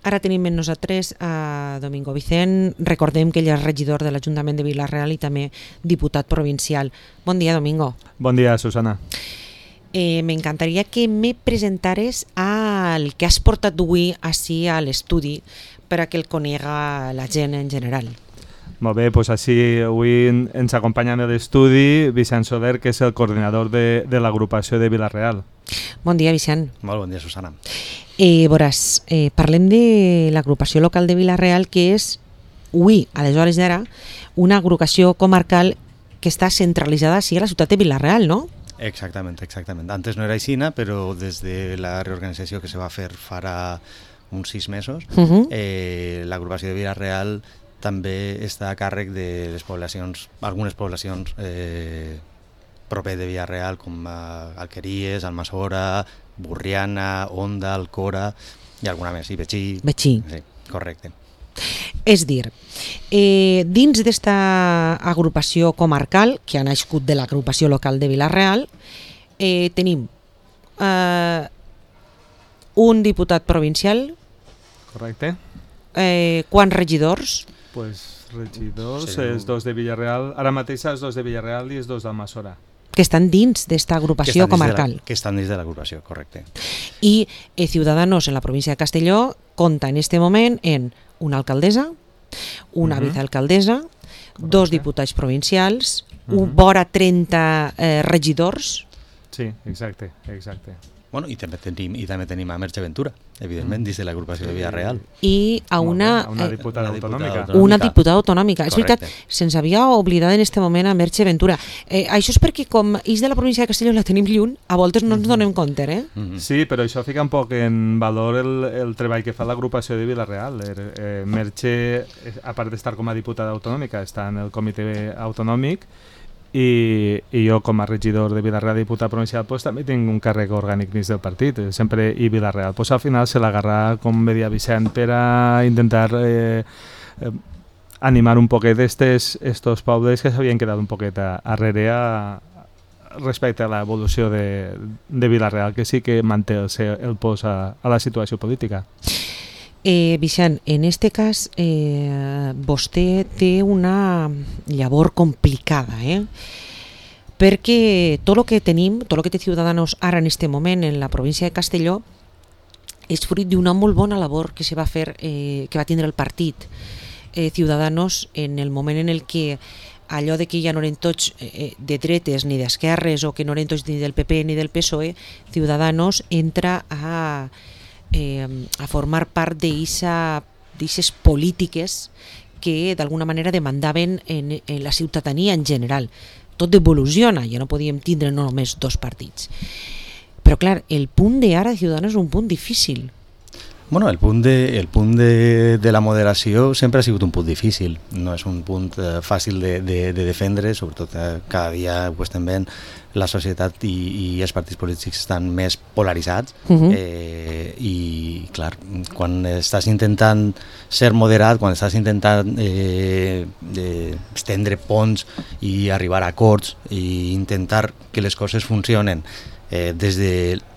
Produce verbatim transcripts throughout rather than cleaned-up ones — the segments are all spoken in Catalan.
Ara tenim amb nosaltres a Domingo Vicent. Recordem que ell és regidor de l'Ajuntament de Vila-real i també diputat provincial. Bon dia, Domingo. Bon dia, Susana. Eh, M'encantaria que me presentares el que has portat avui ací a l'estudi per a que el conega la gent en general. Molt bé, doncs així avui ens acompanya a l'estudi Vicent Soler, que és el coordinador de, de l'agrupació de Vila-real. Bon dia, Vicent. Molt bon dia, Susana. Eh, veuràs, eh, parlem de l'agrupació local de Vila-real, que és, avui, aleshores d'ara, una agrupació comarcal que està centralitzada així a la ciutat de Vila-real, no? Exactament, exactament. Antes no era així, però des de la reorganització que se va fer farà uns sis mesos, uh-huh. eh, l'agrupació de Vila-real també està a càrrec de les poblacions, algunes poblacions eh, proper de Vila-real, com eh, Alqueries, Almassora, Burriana, Onda, Alcora i alguna més, i Betxí. Betxí. Sí, correcte. És dir, eh, dins d'esta agrupació comarcal, que ha nascut de l'agrupació local de Vila-real, eh, tenim eh, un diputat provincial. Correcte. Eh, quants regidors? Pues regidors, Sí. els dos de Vila-real, ara mateix els dos de Vila-real i els dos d'Almassora. Que estan dins d'esta agrupació comarcal. Que estan dins de l'agrupació, correcte. I eh, Ciudadanos en la província de Castelló compta en este moment en una alcaldessa, una uh-huh. vicealcaldessa, Correcte. Dos diputats provincials, Uh-huh. un vora trenta eh, regidors. Sí, exacte, exacte. Bueno, i també tenim, i també tenim a Merche Ventura, evidentment, mm. dins de l'agrupació de Vila-real. I a una, una eh, diputada una diputada autonòmica. autonòmica. una diputada autonòmica. És Correcte. veritat, se'ns havia oblidat en aquest moment a Merche Ventura. Eh, això és perquè com és de la província de Castelló la tenim lluny, a voltes no ens donem compte, eh? Mm-hmm. Sí, però això fica un poc en valor el, el treball que fa l'agrupació de Vila-real. Eh, eh, Merche, a part d'estar com a diputada autonòmica, està en el comitè autonòmic i, i jo com a regidor de Vila-real i diputat provincial pues, també tinc un càrrec orgànic dins del partit, eh, sempre i Vila-real. Pues, al final se l'agarra, com bé dia Vicent, per a intentar eh, eh, animar un poquet estos, estos pobles que s'havien quedat un poquet a, arrere a, respecte a l'evolució de, de Vila-real, que sí que manté el, el pos a, a la situació política. Eh, Vicent, en este cas eh, vostè té una llavor complicada, eh? Perquè tot el que tenim, tot el que té Ciudadanos ara en este moment en la província de Castelló és fruit d'una molt bona labor que se va fer, eh, que va tindre el partit eh, Ciudadanos en el moment en el que allò de que ja no eren tots eh, de dretes ni d'esquerres o que no eren tots ni del P P ni del P S O E, Ciudadanos entra a Eh, a formar part d'aquestes polítiques que d'alguna manera demandaven en, en la ciutadania en general. Tot evoluciona, ja no podíem tindre no només dos partits. Però clar, el punt d'ara de Ciudadanos és un punt difícil. Bueno, el punt, de, el punt de, de la moderació sempre ha sigut un punt difícil, no és un punt eh, fàcil de, de, de defendre, sobretot eh, cada dia ho estem veient, la societat i, i els partits polítics estan més polaritzats uh-huh. eh, i clar, quan estàs intentant ser moderat, quan estàs intentant eh, eh, estendre ponts i arribar a acords i intentar que les coses funcionen eh, des de,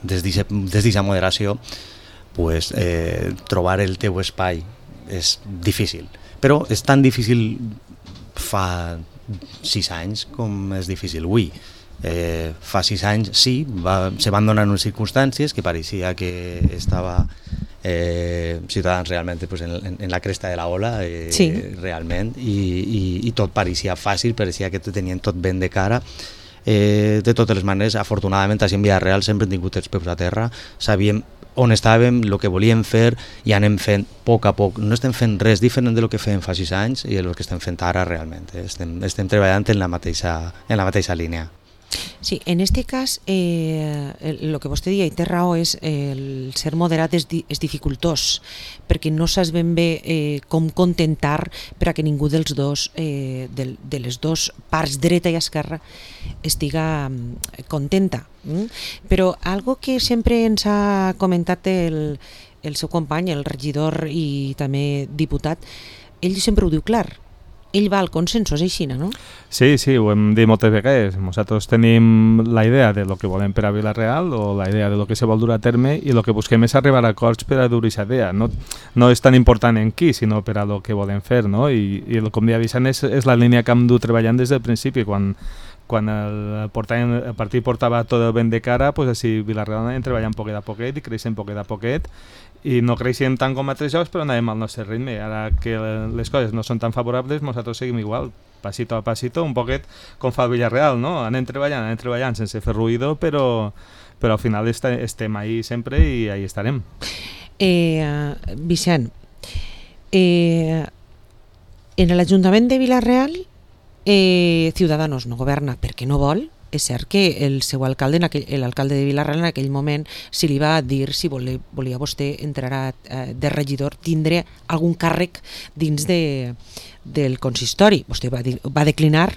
des d'aquesta moderació, pues, eh, trobar el teu espai és difícil, però és tan difícil fa sis anys com és difícil avui. Eh, fa sis anys sí, va, se van donar unes circumstàncies que pareixia que estava eh, Ciutadans realment pues, en, en, en la cresta de la ola eh, sí. realment i, i, i tot pareixia fàcil, pareixia que tenien tot ben de cara. Eh, de totes les maneres, afortunadament així en Vila-real sempre hem tingut els peus a terra, sabíem on estàvem, el que volíem fer i anem fent a poc a poc. No estem fent res diferent del que fèiem fa sis anys i el que estem fent ara realment. Estem, estem treballant en la mateixa, en la mateixa línia. Sí, en este cas, eh, el que vostè deia i té raó és el ser moderat és, di, és dificultós, perquè no saps ben bé eh, com contentar per a que ningú dels dos, eh, de, de les dues parts, dreta i esquerra, estiga contenta. Mm? Però algo que sempre ens ha comentat el, el seu company, el regidor i també diputat, ell sempre ho diu clar. ell va al consenso, és així, no? Sí, sí, ho hem dit moltes vegades. Nosaltres tenim la idea de lo que volem per a Vila-real o la idea de lo que se vol dur a terme i el que busquem és arribar a acords per a dur aquesta idea. No, no és tan important en qui, sinó per a lo que volem fer, no? I, i com deia Vicent, és, és la línia que hem dut treballant des del principi. Quan, quan el, portàvem, el partit portava tot el vent de cara, pues així Vila-real anàvem treballant poquet a poquet i creixent poquet a poquet, i no creixem tant com altres jocs, però anàvem al nostre ritme. Ara que les coses no són tan favorables, nosaltres seguim igual, pasito a pasito, un poquet com fa el Villarreal, no? Anem treballant, anem treballant sense fer ruïdo, però, però al final est estem ahí sempre i ahí estarem. Eh, Vicent, eh, en l'Ajuntament de Vila-real eh, Ciudadanos no governa perquè no vol. És cert que el seu alcalde, l'alcalde de Vila-real en aquell moment, si li va dir si volia, volia vostè entrar eh, de regidor, tindre algun càrrec dins de, del consistori. Vostè va, dir, va declinar?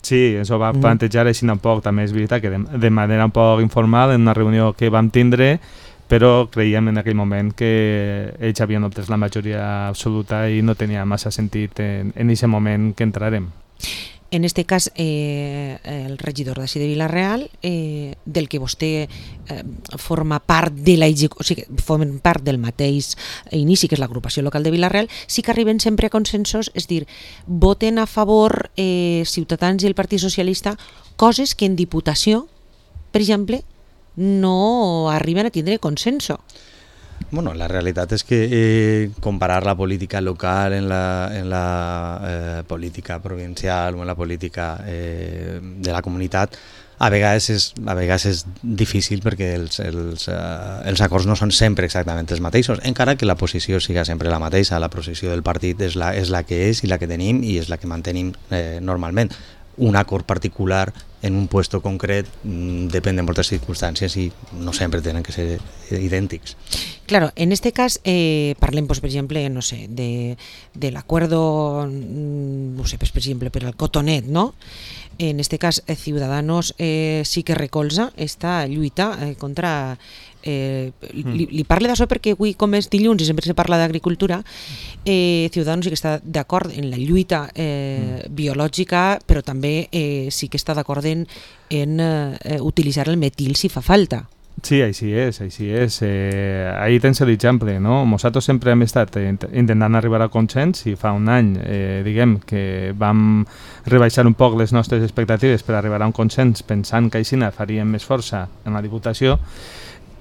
Sí, això va plantejar així un poc, també és veritat que de, de manera un poc informal en una reunió que vam tindre, però creiem en aquell moment que ells havien obtès la majoria absoluta i no tenia massa sentit en aquest moment que entrarem. En este cas, eh, el regidor d'ací de Vila-real, eh, del que vostè eh, forma part de la o sigui, formen part del mateix inici, que és l'agrupació local de Vila-real, sí que arriben sempre a consensos, és dir, voten a favor eh, Ciutadans i el Partit Socialista coses que en Diputació, per exemple, no arriben a tindre consenso. Bueno, la realitat és que eh, comparar la política local en la, en la eh, política provincial o en la política eh, de la comunitat a vegades és, a vegades és difícil perquè els, els, eh, els acords no són sempre exactament els mateixos, encara que la posició siga sempre la mateixa. La posició del partit és la, és la que és i la que tenim i és la que mantenim eh, normalment. Un acord particular en un puesto concret mmm, depèn de moltes circumstàncies i no sempre tenen que ser idèntics. Claro, en este cas eh, parlem, pues, per exemple, no sé, de, de l'acuerdo, no sé, pues, per exemple, per al cotonet, no? En este cas, eh, Ciudadanos eh, sí que recolza esta lluita eh, contra... Eh, li, li parle d'això perquè avui, com és dilluns i sempre se parla d'agricultura, eh, Ciudadanos sí que està d'acord en la lluita eh, mm. biològica, però també eh, sí que està d'acord en, en eh, utilitzar el metil si fa falta. Sí, així és, així és. Eh, ahí tens l'exemple, no? Nosaltres sempre hem estat intentant arribar a consens i fa un any, eh, diguem, que vam rebaixar un poc les nostres expectatives per arribar a un consens pensant que així faríem més força en la Diputació,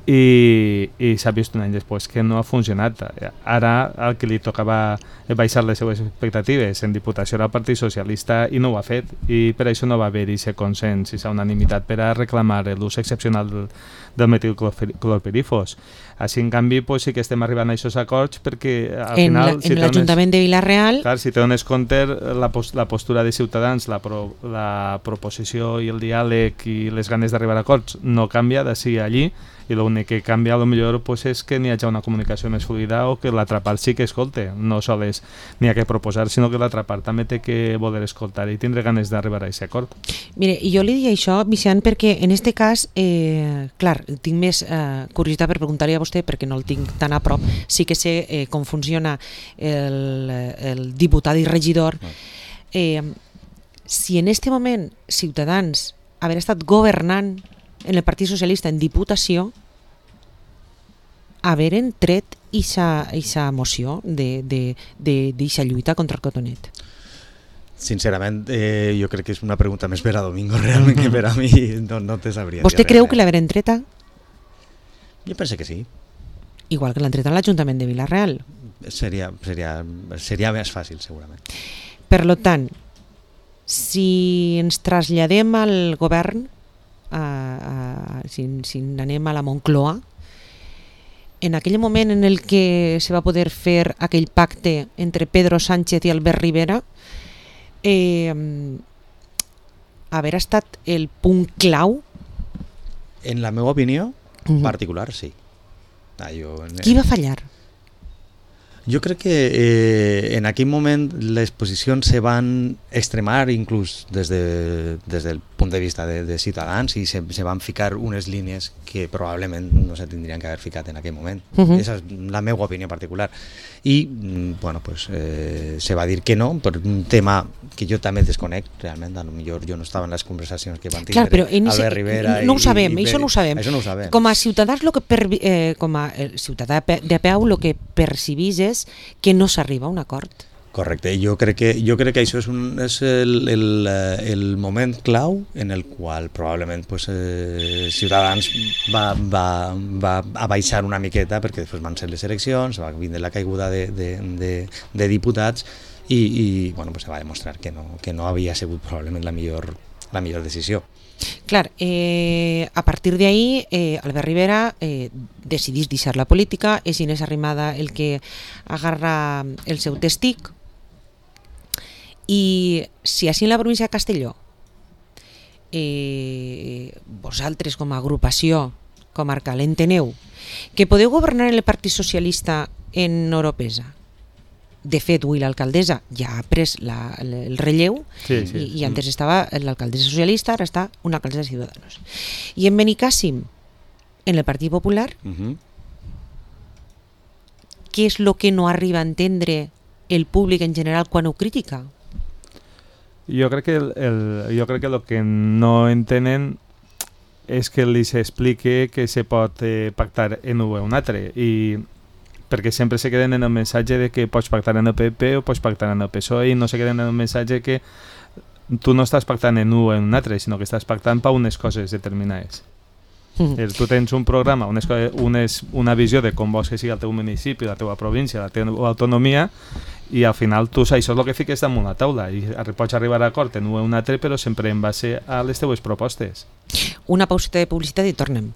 i, i s'ha vist un any després que no ha funcionat. Ara el que li tocava baixar les seues expectatives en Diputació era el Partit Socialista i no ho ha fet, i per això no va haver-hi aquest consens i aquesta unanimitat per a reclamar l'ús excepcional del, del metilclorpirifos. Així, en canvi, pues, sí que estem arribant a aquests acords perquè al en final... La, en si l'Ajuntament de Vila-real... Clar, si te dones compte, la, la postura de Ciutadans, la, pro, la proposició i el diàleg i les ganes d'arribar a acords no canvia d'ací a allí, i l'únic que canvia a lo millor pues, és que n'hi hagi una comunicació més fluida o que l'altra part sí que escolte. No sols n'hi ha que proposar, sinó que l'altra part també té que voler escoltar i tindre ganes d'arribar a aquest acord. Mire, i jo li dic això, Vicent, perquè en este cas, eh, clar, tinc més eh, curiositat per preguntar-li a vostè, perquè no el tinc tan a prop, sí que sé eh, com funciona el, el diputat i regidor. Eh, si en este moment Ciutadans haver estat governant en el Partit Socialista en Diputació, haver tret aquesta moció d'aquesta lluita contra el cotonet. Sincerament, eh, jo crec que és una pregunta més per a Domingo, realment, que per a mi no, no te sabria. Vostè creu que l'haver treta? Jo penso que sí. Igual que l'han tret a l'Ajuntament de Vila-real. Seria, seria, seria més fàcil, segurament. Per tant, si ens traslladem al govern, a, a, si, si anem a la Moncloa, en aquell moment en el que se va poder fer aquell pacte entre Pedro Sánchez i Albert Rivera, eh, haver estat el punt clau? En la meva opinió uh-huh. particular, sí. Ah, jo, Qui va fallar? Jo crec que eh, en aquell moment les posicions se van extremar inclús des, de, des del punt de vista de, de Ciutadans i se, se van ficar unes línies que probablement no se tindrien que haver ficat en aquell moment. Uh-huh. Esa és la meva opinió particular. I, bueno, pues, eh, se va dir que no, per un tema que jo també desconec, realment, a lo millor jo no estava en les conversacions que van tindre Clar, Albert ese, Rivera. No ho i, sabem, i, això no ho sabem. Això no ho sabem. Com a ciutadans, lo que per, eh, com a ciutadà de peu, el que percibís és que no s'arriba a un acord. Correcte, jo crec que, jo crec que això és, un, és el, el, el moment clau en el qual probablement pues, eh, Ciutadans va, va, va abaixar una miqueta perquè després van ser les eleccions, va vindre la caiguda de, de, de, de diputats i, i bueno, pues, se va demostrar que no, que no havia sigut probablement la millor, la millor decisió. Clar, eh, a partir d'ahí eh, Albert Rivera eh, decidís deixar la política, és Inés Arrimada el que agarra el seu testic. I si així en la província de Castelló eh, vosaltres com a agrupació comarcal enteneu que podeu governar el Partit Socialista en Oropesa, de fet avui l'alcaldessa ja ha pres la, el relleu sí, sí. I, i antes estava l'alcaldessa socialista, ara està una alcaldessa de Ciudadanos, i en Benicàssim en el Partit Popular, uh-huh. què és el que no arriba a entendre el públic en general quan ho critica? Jo crec que el, el, jo crec que el que no entenen és que li s'explique que se pot eh, pactar en un o un altre, i perquè sempre se queden en el missatge de que pots pactar en el P P o pots pactar en el P S O E i no se queden en el missatge que tu no estàs pactant en un o en un altre, sinó que estàs pactant per unes coses determinades. Mm. Tu tens un programa, unes, unes, una visió de com vols que sigui el teu municipi, la teva província, la teva autonomia, i al final tu això és el que fiques damunt la taula i pots arribar a acord en un o un altre, però sempre en base a les teues propostes. Una pauseta de publicitat i tornem.